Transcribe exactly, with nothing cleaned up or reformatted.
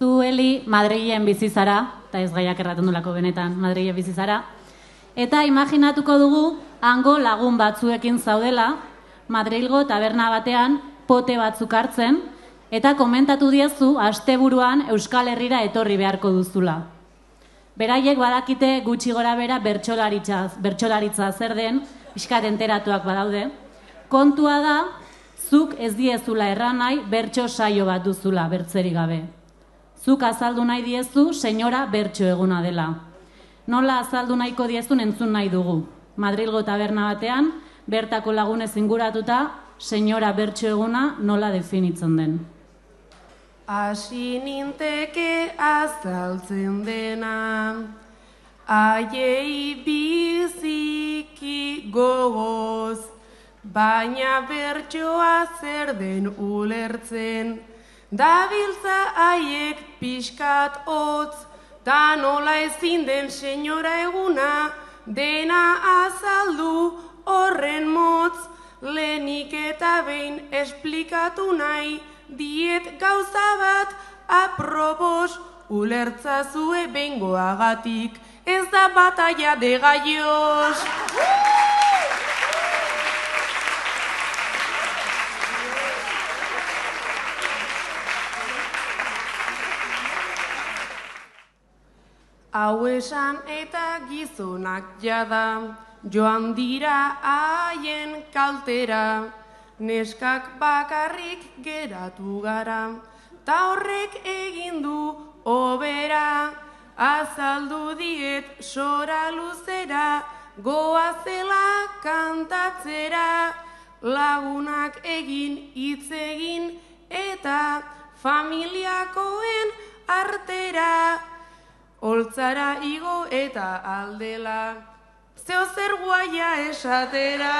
Zu, Eli, Madrilen bizi zara, eta ez gaiak erraten dulako benetan, Madrilen bizi zara. Eta imaginatuko dugu, hango lagun batzuekin zaudela, Madrilgo taberna batean pote batzuk hartzen, eta komentatu diezu asteburuan Euskal Herrira etorri beharko duzula. Beraiek badakite gutxi gora bera bertsolaritza, bertsolaritza zer den, pixkat enteratuak badaude. Kontua da, zuk ez diezula erran nahi bertso saio bat duzula, bertzerik gabe. Zuk azaldu nahi diezu, senyora bertso eguna dela. Nola azaldu nahiko diezun entzun nahi dugu. Madrilgo taberna batean, bertako lagunez inguratuta, senyora bertso eguna nola definitzen den. Hasi ninteke azaltzen dena, haiei biziki gogoz, baina bertsoa zer den ulertzen, dabiltza haiek pixkat hotz, ta nola ezin den senyora eguna, dena azaldu horren motz, lehenik eta behin esplikatu nahi, diet gauza bat aprobos, ulertzazue bengoagatik, ez da batalla de gallos. Hau esan eta gizonak jada, joan dira haien kaltera, neskak bakarrik geratu gara, ta horrek egin du obera, azaldu diet sora luzera, goazela kantatzera, lagunak egin hitz egin eta familiakoen artera, holtzara igo eta aldela, zeo zer guaia esatera.